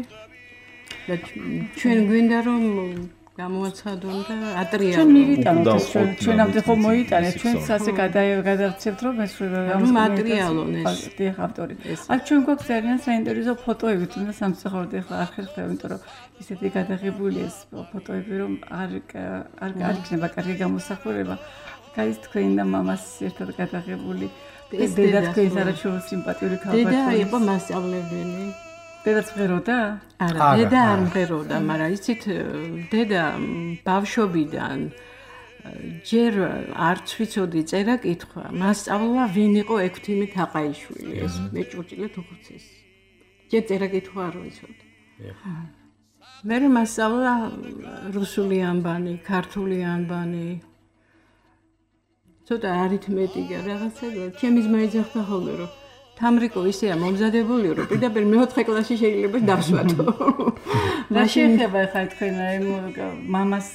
და ჩვენ გვინდა რომ გამოაცხადონ და ატრიალონ. ჩვენ მივიტანოთ ჩვენ ჩვენამდე ხომ მოიტანეთ ჩვენც ასე გადავცემთ რომ ეს რომ ატრიალონ ეს დიახ ავტორი. აქ ჩვენ გვაქვს ძალიან საინტერესო ფოტოები თუნდაც სამწუხაროდ ახლა არ ხერხდება იმიტომ რომ ისეთი გადაღებული ეს ფოტოები რომ არ არ არ იქნება კარგი გამოსახულება. აი ეს თქვენ და მამას ერთად გადაღებული ეს დედა თქვენს არაჩვეულ სიმპათიური ქალბატონი. დედა იყო მასწავლებელი. დედაც მღეროდა? არა, დედა არ მღეროდა, მაგრამ იცით, დედა ბავშვობიდან ჯერ არც ვიცოდი წერა კითხვა. მასწავლა ვინ იყო ექვთიმე თაყაიშვილი, ეს მეჭურჭილეთ უხუცეს. ჯერ წერა კითხვა არ ვიცოდი. მე მასწავლა რუსული ანბანი, ქართული ანბანი. ცოტა არითმეტიკა რაღაცა, ჩემი ძმა ეძახდა ხოლმე რომ თამრიკო ისეა მომზადებული რომ პირდაპირ მეოთხე კლასში შეიძლება დავსვათო. რა შეიძლება ხა თქვენ აი მამას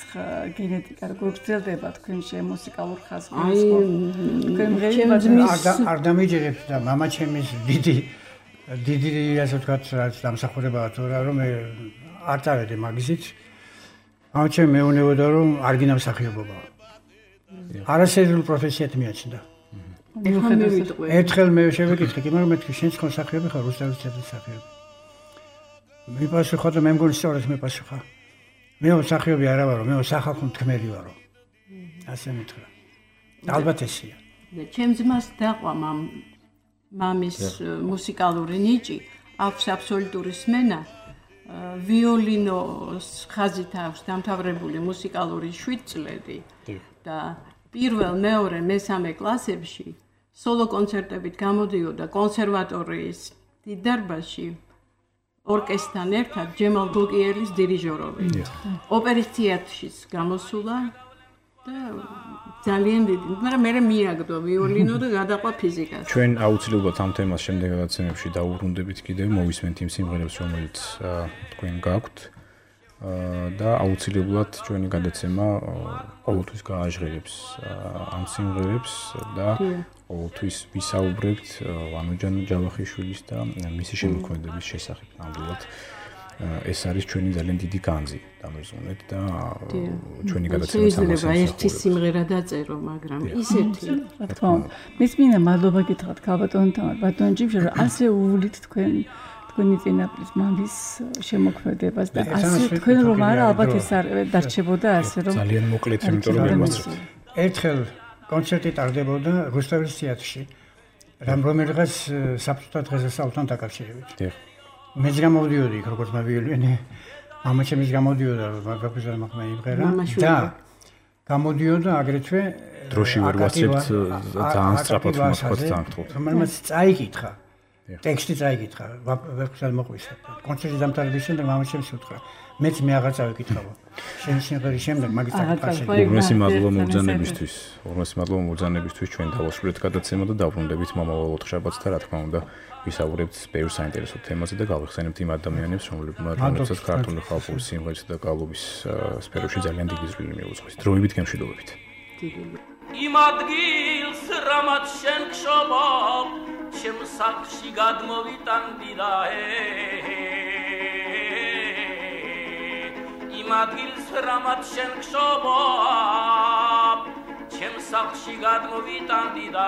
გენეტიკა როგორ გრძელდება თქვენში მუსიკალურ ხაზს? აი თქვენ არ დამიჯერებთ და მამა ჩემის დიდი დიდი ასე ვთქვათ რაც დამსახურებაა თუ რა რომ მე არ წავედი მაგისით. მამა ჩემი მეუნებოდა რომ არ გინდა მსახიობობა. არასერიოზულ პროფესიად მიაჩნდა. ერთხელ მე შევეკითხე, მაგრამ მე თქვი შენ ხომ მსახიობი ხარ, რუსთავის თეატრის მსახიობი. მე პასუხა და მე მგონი სწორად მე პასუხა. მე მსახიობი არა ვარო, მე სახალხო მთქმელი ვარო. ასე მითხრა. ალბათ ესია. და ჩემს ძმას დაყვა მამ მამის მუსიკალური ნიჭი, აქვს აბსოლუტური სმენა. ვიოლინოს ხაზით აქვს დამთავრებული მუსიკალური შვიდ წლები და პირველ, მეორე, მესამე კლასებში სოლო კონცერტებით გამოდიოდა კონსერვატორიის დიდ დარბაზში ორკესტრთან ერთად ჯემალ გოგიელის დირიჟორობით. ოპერის თეატრშიც გამოსულა და ძალიან დიდი, მაგრამ მე მიაგდო ვიოლინო და გადაყვა ფიზიკას. ჩვენ აუცილებლად ამ თემას შემდეგ გადაცემებში დაუბრუნდებით კიდევ, მოვისმენთ იმ სიმღერებს, რომელიც თქვენ გაქვთ. და აუცილებლად ჩვენი გადაცემა ყოველთვის გააჟღერებს ამ სიმღერებს და ყოველთვის ვისაუბრებთ ვანოჯან ჯავახიშვილის და მისი შემოქმედების შესახებ. ნამდვილად ეს არის ჩვენი ძალიან დიდი განძი დამერზუნეთ და ჩვენი გადაცემა შეიძლება ერთი სიმღერა დაწერო, მაგრამ ისეთი რა თქმა უნდა. მის მინდა მადლობა გითხრათ ქალბატონთან, ბატონ ჯიმში, რომ ასე უვლით თქვენ თქვენი წინაპრის მამის შემოქმედებას და ასე თქვენ რომ არა ალბათ ეს არ დარჩებოდა ასე რომ ძალიან მოკლედ იმიტომ რომ მივასწრებთ. ერთხელ კონცერტი ტარდებოდა რუსთავის თეატრში. რამ რომელიღაც საბჭოთა დღესასწაულთან დაკავშირებით. დიახ. მეც გამოვდიოდი იქ როგორც მავიოლინე. მამა ჩემიც გამოდიოდა მაგაფიზა მაგმა იმღერა და გამოდიოდა აგრეთვე დროში ვერ ვასწრებთ ძალიან სწრაფად ვთქვათ ძალიან გთხოვთ. რომელმაც წაიკითხა ტექსტი წაიკითხა, ვეფხსად მოყვისა. კონცერტის დამთავრების შემდეგ მამაჩემს უთხრა, მეც მე აღარ წავიკითხავ. შენ სიმღერის შემდეგ მაგის წაკითხა. უღმესი მადლობა მოგზანებისთვის. უღმესი მადლობა მოგზანებისთვის ჩვენ დავასრულეთ გადაცემა და დავბრუნდებით მომავალ ოთხშაბათს და რა თქმა უნდა ვისაუბრებთ ბევრ საინტერესო თემაზე და გავიხსენებთ იმ ადამიანებს, რომლებსაც ქართული ხალხური სიმღერისა და გალობის სფეროში ძალიან დიდი ზრდილი მიუძღვის. დროებით გემშვიდობებით. იმ ადგილს რამაც შენ გშობობ, ჩემ სახლში გადმოვიტანდი და იმ ადგილს რამაც შენ გშობობ, ჩემ სახლში გადმოვიტანდი და